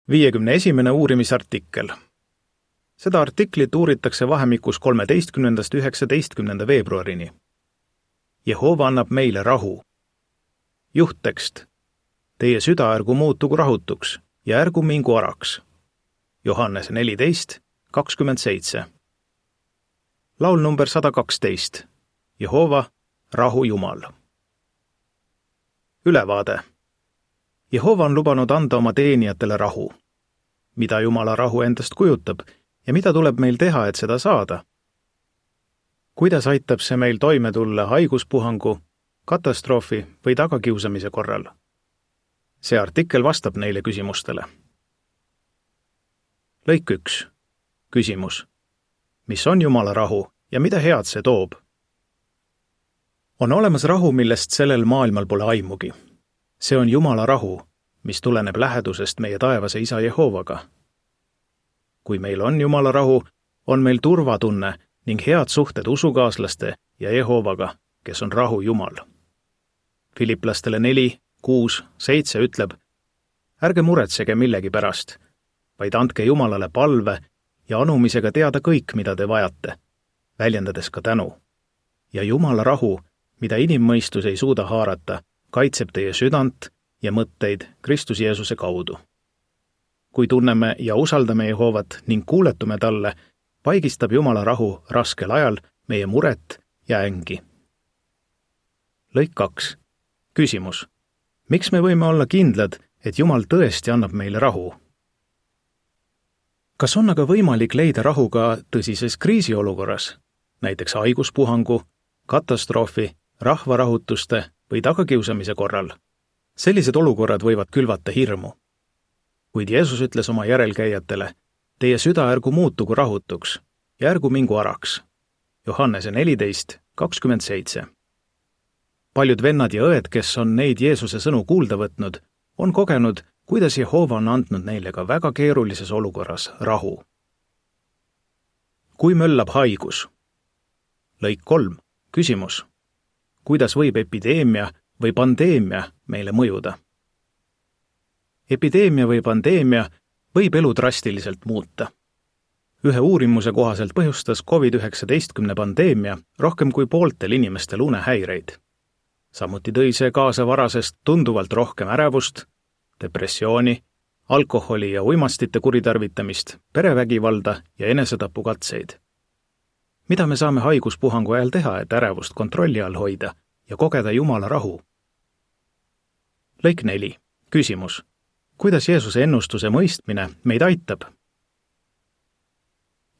51. uurimisartikkel. Seda artiklit uuritakse vahemikus 13.–19. veebruarini. Jehova annab meile rahu. Juhttekst. Teie süda ärgu muutugu rahutuks ja ärgu mingu araks. Johannes 14:27. Laul number 112. Jehova, rahu Jumal. Ülevaade. Jehova on lubanud anda oma teenijatele rahu. Mida Jumala rahu endast kujutab ja mida tuleb meil teha, et seda saada? Kuidas aitab see meil toime tulla haiguspuhangu, katastroofi või tagakiusamise korral? See artikkel vastab neile küsimustele. Lõik 1. Küsimus. Mis on Jumala rahu ja mida head see toob? On olemas rahu, millest sellel maailmal pole aimugi. See on Jumala rahu, mis tuleneb lähedusest meie taevase Isa Jehovaga. Kui meil on Jumala rahu, on meil turvatunne ning head suhted usukaaslaste ja Jehovaga, kes on rahu Jumal. Filiplastele 4:6-7 ütleb: ärge muretsege millegi pärast, vaid andke Jumalale palve ja anumisega teada kõik, mida te vajate, väljendades ka tänu. Ja Jumala rahu, mida inimmõistus ei suuda haarata, kaitseb teie südant ja mõtteid Kristus Jeesuse kaudu. Kui tunneme ja usaldame Jehovat ning kuuletume talle, paigistab Jumala rahu raskel ajal meie muret ja ängi. Lõik 2. Küsimus. Miks me võime olla kindlad, et Jumal tõesti annab meile rahu? Kas on aga võimalik leida rahu ka tõsises kriisiolukorras, näiteks haiguspuhangu, katastroofi, rahvarahutuste või tagakiusamise korral? Sellised olukorrad võivad külvata hirmu. Kuid Jeesus ütles oma järelkäijatele: teie süda ärgu muutugu rahutuks ja ärgu mingu araks. Johannese 14:27. Paljud vennad ja õed, kes on neid Jeesuse sõnu kuulda võtnud, on kogenud, kuidas Jehova on andnud neile ka väga keerulises olukorras rahu. Kui möllab haigus? Lõik 3. Küsimus. Kuidas võib epideemia või pandeemia meile mõjuda? Epideemia või pandeemia võib elu drastiliselt muuta. Ühe uurimuse kohaselt põhjustas COVID-19 pandeemia rohkem kui pooltel inimestel unehäireid. Samuti tõi see kaasa varasest tunduvalt rohkem ärevust, depressiooni, alkoholi ja uimastite kuritarvitamist, perevägivalda ja enesetapukatseid. Mida me saame haiguspuhangu ajal teha, et ärevust kontrolli all hoida ja kogeda Jumala rahu? Lõik 4. Küsimus. Kuidas Jeesuse ennustuse mõistmine meid aitab?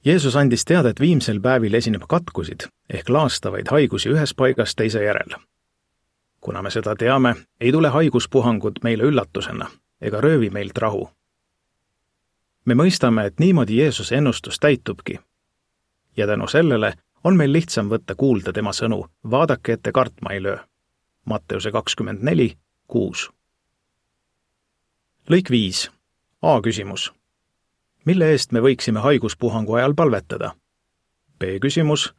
Jeesus andis teada, et viimsel päevil esineb katkusid ehk laastavaid haigusi ühes paigas teise järel. Kuna me seda teame, ei tule haiguspuhangud meile üllatusena ega röövi meilt rahu. Me mõistame, et niimoodi Jeesuse ennustus täitubki. Ja tänu sellele on meil lihtsam võtta kuulda tema sõnu: vaadake, ette kartma ei löö. Matteuse 24:6. Lõik 5. A küsimus. Mille eest me võiksime haiguspuhangu ajal palvetada? B küsimus.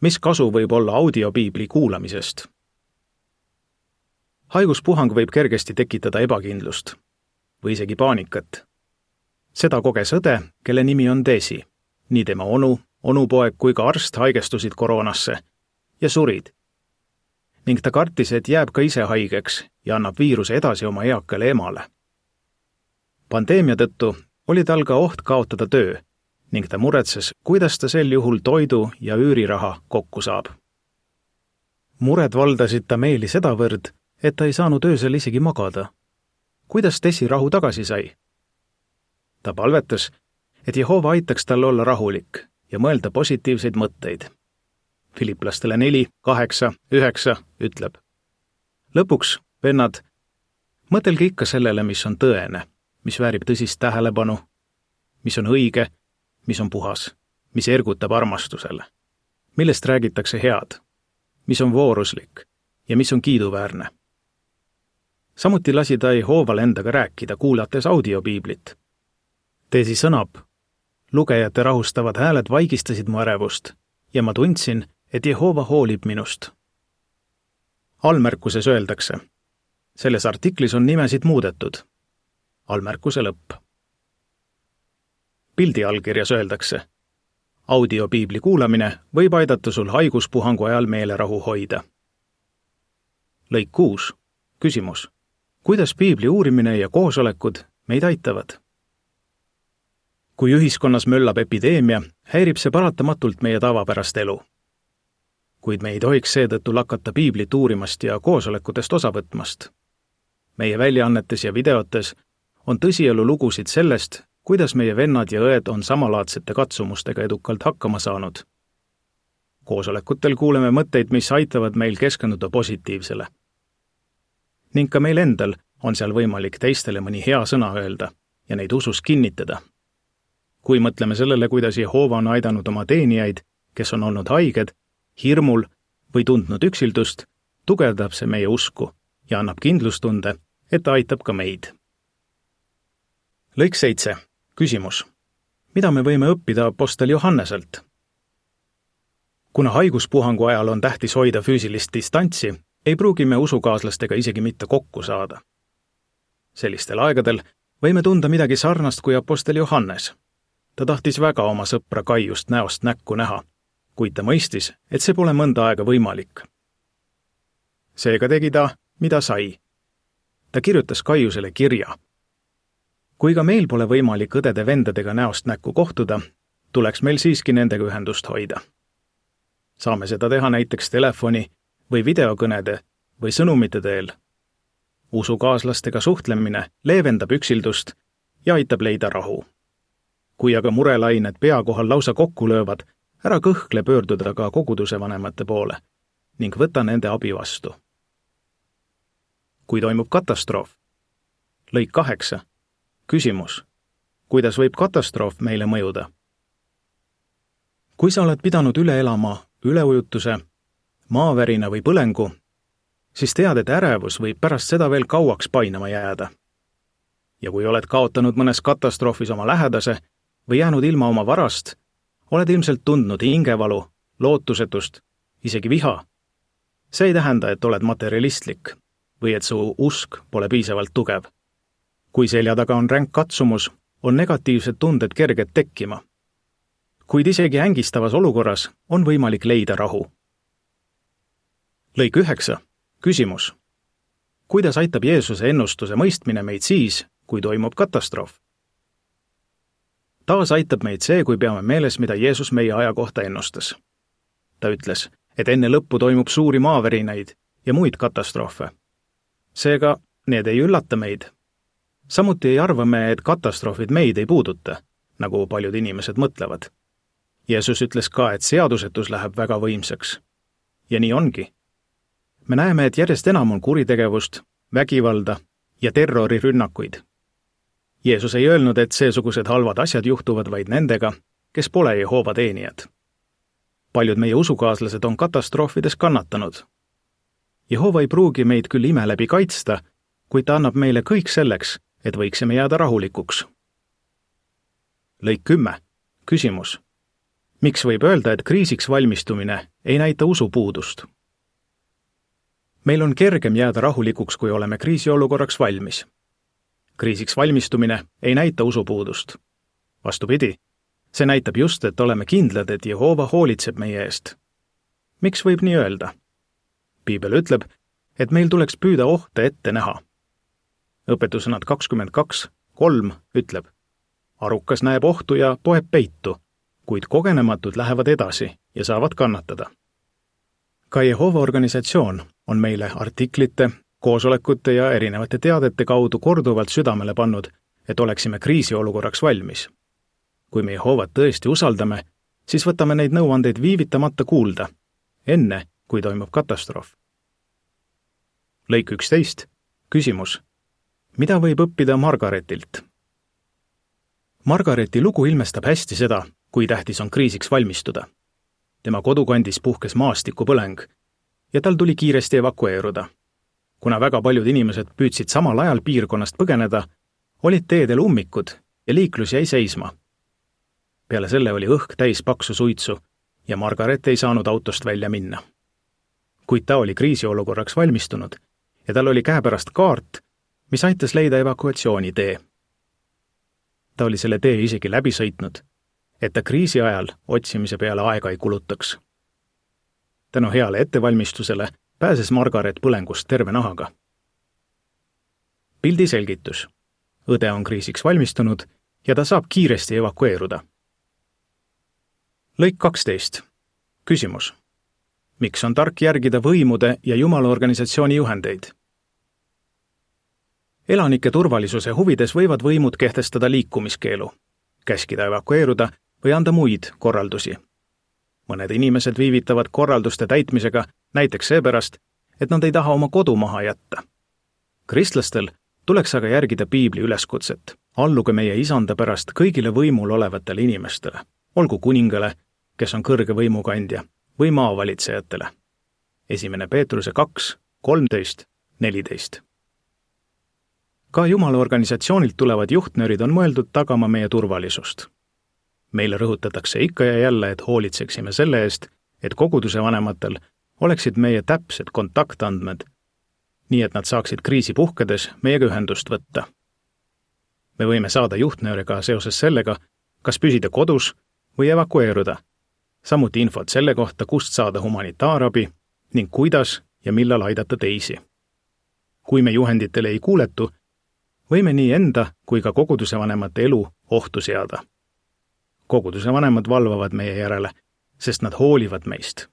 Mis kasu võib olla audiopiibli kuulamisest? Haiguspuhang võib kergesti tekitada ebakindlust või isegi paanikat. Seda koges õde, kelle nimi on Desi. Nii tema onu, onupoeg kui ka arst haigestusid koroonasse ja surid. Ning ta kartis, et jääb ka ise haigeks ja annab viiruse edasi oma eakale emale. Pandeemia tõttu oli tal ka oht kaotada töö ning ta muretses, kuidas ta sel juhul toidu ja üüriraha kokku saab. Mured valdasid ta meeli sedavõrd, et ta ei saanud öösel isegi magada. Kuidas Desi rahu tagasi sai? Ta palvetas, et Jehova aitaks tal olla rahulik ja mõelda positiivseid mõtteid. Filiplastele 4:8-9 ütleb: lõpuks, vennad, mõtelge ikka sellele, mis on tõene, mis väärib tõsist tähelepanu, mis on õige, mis on puhas, mis ergutab armastusele, millest räägitakse head, mis on vooruslik ja mis on kiiduväärne. Samuti lasi ta Jehoval endaga rääkida, kuulates audiopiiblit. Desi sõnab: lugejate rahustavad hääled vaigistasid mu ärevust ja ma tundsin, et Jehova hoolib minust. Allmärkuses öeldakse: selles artiklis on nimesid muudetud. Allmärkuse lõpp. pildi allkirjas öeldakse. Audiopiibli kuulamine võib aidata sul haiguspuhangu ajal meelerahu hoida. Lõik 6. Küsimus. Kuidas piibli uurimine ja koosolekud meid aitavad? Kui ühiskonnas möllab epideemia, häirib see paratamatult meie tavapärast elu. Kuid me ei tohiks seetõttu lakata piiblit uurimast ja koosolekutest osa võtmast. Meie väljaannetes ja videotes on tõsielu lugusid sellest, kuidas meie vennad ja õed on samalaadsete katsumustega edukalt hakkama saanud. Koosolekutel kuuleme mõtteid, mis aitavad meil keskenduda positiivsele. Ning ka meil endal on seal võimalik teistele mõni hea sõna öelda ja neid usus kinnitada. Kui mõtleme sellele, kuidas Jehova on aidanud oma teenijaid, kes on olnud haiged, hirmul või tundnud üksildust, tugevdab see meie usku ja annab kindlustunde, et ta aitab ka meid. Lõik 7. Küsimus. Mida me võime õppida apostel Johanneselt? Kuna haiguspuhangu ajal on tähtis hoida füüsilist distantsi, ei pruugi me usukaaslastega isegi mitte kokku saada. Sellistel aegadel võime tunda midagi sarnast kui apostel Johannes. Ta tahtis väga oma sõpra Kaiust näost näkku näha, kuid ta mõistis, et see pole mõnda aega võimalik. Seega tegi ta, mida sai. Ta kirjutas Kaiusele kirja. Kui ka meil pole võimalik õdede-vendadega näost näkku kohtuda, tuleks meil siiski nendega ühendust hoida. Saame seda teha näiteks telefoni või videokõnede või sõnumite teel. Usukaaslastega suhtlemine leevendab üksildust ja aitab leida rahu. Kui aga murelained pea kohal lausa kokku löövad, ära kõhkle pöörduda ka koguduse vanemate poole ning võta nende abi vastu. Kui toimub katastroof? Lõik 8. Küsimus. Kuidas võib katastroof meile mõjuda? Kui sa oled pidanud üle elama üleujutuse, maavärina või põlengu, siis tead, et ärevus võib pärast seda veel kauaks painama jääda. Ja kui oled kaotanud mõnes katastroofis oma lähedase või jäänud ilma oma varast, oled ilmselt tundnud hingevalu, lootusetust, isegi viha. See ei tähenda, et oled materialistlik või et su usk pole piisavalt tugev. Kui selja taga on ränk katsumus, on negatiivsed tunded kerged tekkima. Kuid isegi ängistavas olukorras on võimalik leida rahu. Lõik 9. Küsimus. Kuidas aitab Jeesuse ennustuse mõistmine meid siis, kui toimub katastroof? Taas aitab meid see, kui peame meeles, mida Jeesus meie aja kohta ennustas. Ta ütles, et enne lõppu toimub suuri maavärinaid ja muid katastroofe. Seega, need ei üllata meid. Samuti ei arva me, et katastroofid meid ei puuduta, nagu paljud inimesed mõtlevad. Jeesus ütles ka, et seadusetus läheb väga võimsaks. Ja nii ongi. Me näeme, et järjest enam on kuritegevust, vägivalda ja terrorirünnakuid. Jeesus ei öelnud, et seesugused halvad asjad juhtuvad vaid nendega, kes pole Jehova teenijad. Paljud meie usukaaslased on katastroofides kannatanud. Jehova ei pruugi meid küll ime läbi kaitsta, kuid ta annab meile kõik selleks, et võiksime jääda rahulikuks. Lõik 10. Küsimus. Miks võib öelda, et kriisiks valmistumine ei näita usupuudust? Meil on kergem jääda rahulikuks, kui oleme kriisiolukorraks valmis. Kriisiks valmistumine ei näita usupuudust. Vastupidi, see näitab just, et oleme kindlad, et Jehova hoolitseb meie eest. Miks võib nii öelda? Piibel ütleb, et meil tuleks püüda ohte ette näha. Õpetusõnad 22:3 ütleb, arukas näeb ohtu ja poeb peitu, kuid kogenematud lähevad edasi ja saavad kannatada. Ka Jehova organisatsioon on meile artiklite, koosolekute ja erinevate teadete kaudu korduvalt südamele pannud, et oleksime kriisiolukorraks valmis. Kui me Jehovat tõesti usaldame, siis võtame neid nõuandeid viivitamata kuulda, enne kui toimub katastroof. Lõik 11. Küsimus. Mida võib õppida Margaretilt? Margareti lugu ilmestab hästi seda, kui tähtis on kriisiks valmistuda. Tema kodukandis puhkes maastikupõleng ja tal tuli kiiresti evakueeruda. Kuna väga paljud inimesed püüdsid samal ajal piirkonnast põgeneda, olid teedel ummikud ja liiklus jäi seisma. Peale selle oli õhk täis paksu suitsu ja Margaret ei saanud autost välja minna. Kuid ta oli kriisiolukorraks valmistunud ja tal oli käepärast kaart, mis aitas leida evakuatsioonitee. ta oli selle tee isegi läbi sõitnud, et ta kriisi ajal otsimise peale aega ei kulutaks. Tänu heale ettevalmistusele pääses Margaret põlengust terve nahaga. Pildi selgitus. Õde on kriisiks valmistunud ja ta saab kiiresti evakueeruda. Lõik 12. Küsimus. Miks on tark järgida võimude ja Jumala organisatsiooni juhendeid? Elanike turvalisuse huvides võivad võimud kehtestada liikumiskeelu, käskida evakueeruda või anda muid korraldusi. Mõned inimesed viivitavad korralduste täitmisega näiteks seepärast, et nad ei taha oma kodu maha jätta. Kristlastel tuleks aga järgida Piibli üleskutset. Alluge meie isanda pärast kõigile võimul olevatele inimestele, olgu kuningale, kes on kõrge võimukandja, või maavalitsejatele. 1. Peetruse 2, 13, 14. Ka Jumala organisatsioonilt tulevad juhtnöörid on mõeldud tagama meie turvalisust. Meile rõhutatakse ikka ja jälle, et hoolitseksime selle eest, et koguduse vanematel oleksid meie täpsed kontaktandmed, nii et nad saaksid kriisi puhkedes meiega ühendust võtta. Me võime saada juhtnööre ka seoses sellega, kas püsida kodus või evakueeruda, samuti infot selle kohta, kust saada humanitaarabi ning kuidas ja millal aidata teisi. Kui me juhenditele ei kuuletu, võime nii enda kui ka koguduse vanemate elu ohtu seada. Koguduse vanemad valvavad meie järele, sest nad hoolivad meist.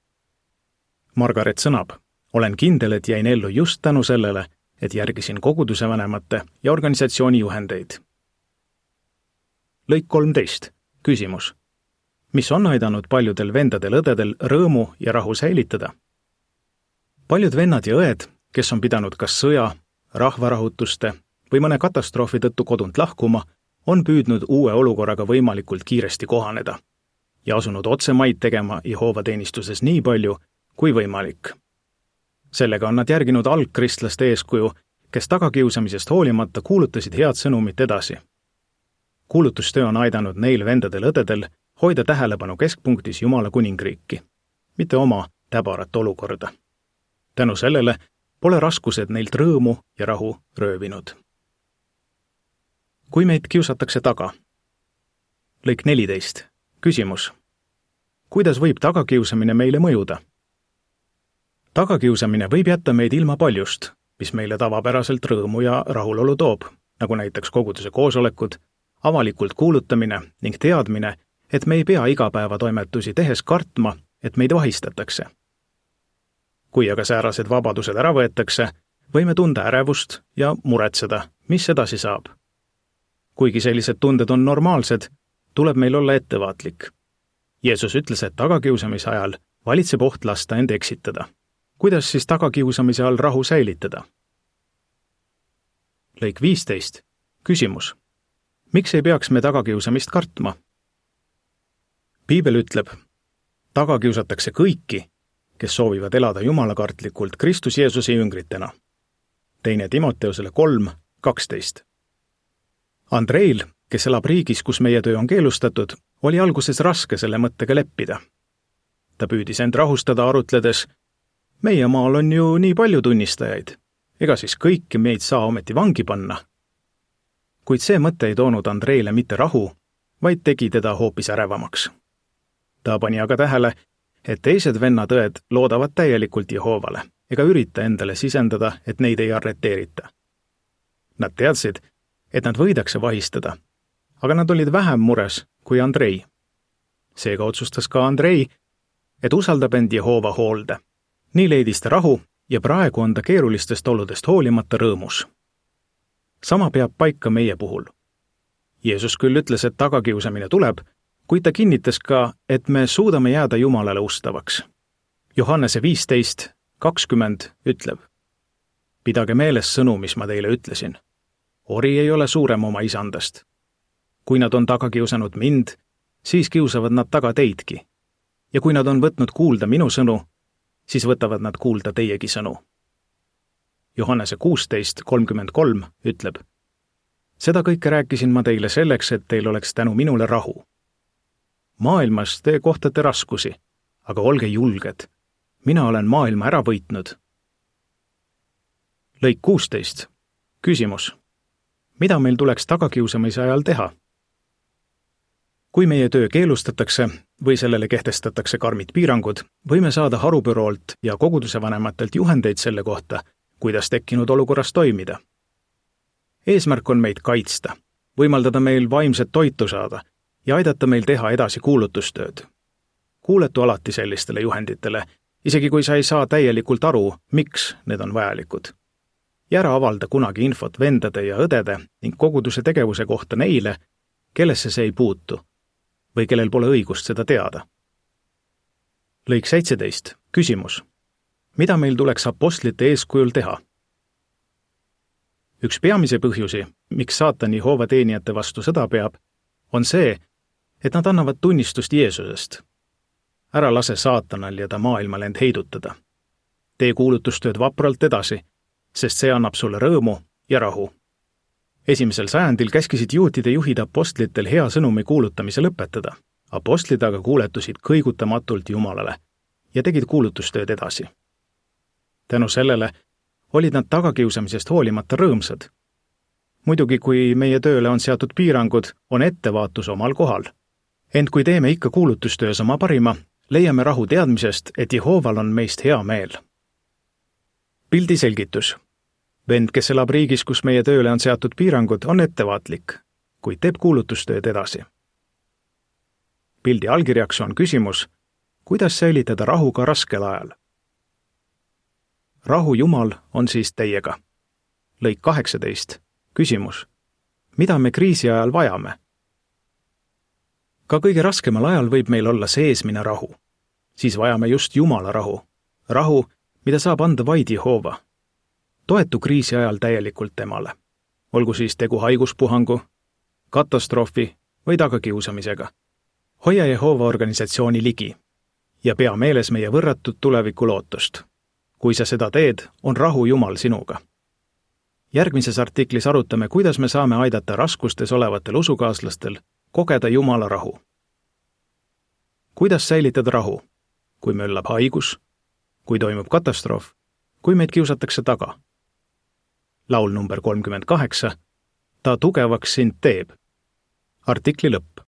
Margaret sõnab, olen kindel, et jäin ellu just tänu sellele, et järgisin koguduse vanemate ja organisatsiooni juhendeid. Lõik 13. Küsimus. Mis on aidanud paljudel vendadel-õdedel rõõmu ja rahu säilitada? Paljud vennad ja õed, kes on pidanud kas sõja, rahvarahutuste või mõne katastroofi tõttu kodunt lahkuma, on püüdnud uue olukorraga võimalikult kiiresti kohaneda ja asunud otsemaid tegema Jehoova teenistuses nii palju kui võimalik. Sellega on nad järginud algkristlaste eeskuju, kes tagakiusamisest hoolimata kuulutasid head sõnumit edasi. Kuulutustöö on aidanud neil vendadel-õdedel hoida tähelepanu keskpunktis Jumala kuningriiki, mitte oma täbarat olukorda. Tänu sellele pole raskused neilt rõõmu ja rahu röövinud. Kui meid kiusatakse taga? Lõik 14. Küsimus. Kuidas võib tagakiusamine meile mõjuda? Tagakiusamine võib jätta meid ilma paljust, mis meile tavapäraselt rõõmu ja rahulolu toob, nagu näiteks koguduse koosolekud, avalikult kuulutamine ning teadmine, et me ei pea igapäevatoimetusi tehes kartma, et meid vahistatakse. Kui aga säärased vabadused ära võetakse, võime tunda ärevust ja muretseda, mis edasi saab. Kuigi sellised tunded on normaalsed, tuleb meil olla ettevaatlik. Jeesus ütles, et tagakiusamise ajal valitseb oht lasta end eksitada. Kuidas siis tagakiusamise all rahu säilitada? Lõik 15. Küsimus. Miks ei peaks me tagakiusamist kartma? Piibel ütleb, tagakiusatakse kõiki, kes soovivad elada jumalakartlikult Kristus Jeesuse jüngritena. 2. Timoteusele 3, 12. Andreil, kes elab riigis, kus meie töö on keelustatud, oli alguses raske selle mõttega leppida. Ta püüdis end rahustada arutledes, meie maal on ju nii palju tunnistajaid, ega siis kõiki meid saa ometi vangi panna. Kuid see mõte ei toonud Andreile mitte rahu, vaid tegi teda hoopis ärevamaks. Ta pani aga tähele, et teised vennad-õed loodavad täielikult Jehoovale ega ürita endale sisendada, et neid ei arreteerita. Nad teadsid, et nad võidakse vahistada, aga nad olid vähem mures kui Andrei. Seega otsustas ka Andrei, et usaldab end Jehoova hoolde. Nii leidis ta rahu ja praegu on ta keerulistest oludest hoolimata rõõmus. Sama peab paika meie puhul. Jeesus küll ütles, et tagakiusamine tuleb, kuid ta kinnitas ka, et me suudame jääda Jumalale ustavaks. Johannese 15, 20 ütleb, pidage meeles sõnu, mis ma teile ütlesin. Ori ei ole suurem oma isandast. Kui nad on taga kiusanud mind, siis kiusavad nad taga teidki. Ja kui nad on võtnud kuulda minu sõnu, siis võtavad nad kuulda teiegi sõnu. Johannese 16, 33 ütleb, seda kõike rääkisin ma teile selleks, et teil oleks tänu minule rahu. Maailmas te kohtate raskusi, aga olge julged. Mina olen maailma ära võitnud. Lõik 16. Küsimus. Mida meil tuleks tagakiusamise ajal teha? kui meie töö keelustatakse või sellele kehtestatakse karmid piirangud, võime saada harubüroolt ja koguduse vanematelt juhendeid selle kohta, kuidas tekkinud olukorras toimida. Eesmärk on meid kaitsta, võimaldada meil vaimset toitu saada ja aidata meil teha edasi kuulutustööd. Kuuletu alati sellistele juhenditele, isegi kui sa ei saa täielikult aru, miks need on vajalikud. Ja ära avalda kunagi infot vendade ja õdede ning koguduse tegevuse kohta neile, kellesse see ei puutu või kellel pole õigust seda teada. Lõik 17. Küsimus. Mida meil tuleks apostlite eeskujul teha? Üks peamise põhjusi, miks saatan Jehoova teenijate vastu sõda peab, on see, et nad annavad tunnistust Jeesusest. Ära lase saatanal ja ta maailmal end heidutada. Tee kuulutustööd vapralt edasi, sest see annab sulle rõõmu ja rahu. 1. sajandil käskisid juutide juhid apostlitel hea sõnumi kuulutamise lõpetada. Apostlid aga kuuletusid kõigutamatult Jumalale ja tegid kuulutustööd edasi. Tänu sellele olid nad tagakiusamisest hoolimata rõõmsad. Muidugi, kui meie tööle on seatud piirangud, on ettevaatus omal kohal. Ent kui teeme ikka kuulutustöös oma parima, leiame rahu teadmisest, et Jehooval on meist hea meel. Pildi selgitus. Vend, kes elab riigis, kus meie tööle on seatud piirangud, on ettevaatlik, kuid teeb kuulutustööd edasi. Pildi allkirjaks on küsimus, kuidas säilitada rahu ka raskel ajal. Rahu Jumal on siis teiega. Lõik 18. Küsimus. Mida me kriisi ajal vajame? Ka kõige raskemal ajal võib meil olla seesmine rahu. Siis vajame just Jumala rahu. Rahu, mida saab anda vaid Jehoova. Toetu kriisi ajal täielikult temale. Olgu siis tegu haiguspuhangu, katastroofi või tagakiusamisega. Hoia Jehoova organisatsiooni ligi ja pea meeles meie võrratud tuleviku lootust. Kui sa seda teed, on rahu Jumal sinuga. Järgmises artiklis arutame, kuidas me saame aidata raskustes olevatel usukaaslastel kogeda Jumala rahu. Kuidas säilitada rahu? Kui möllab haigus, kui toimub katastroof, kui meid kiusatakse taga. Laul number 38. Ta tugevaks sind teeb. Artikli lõpp.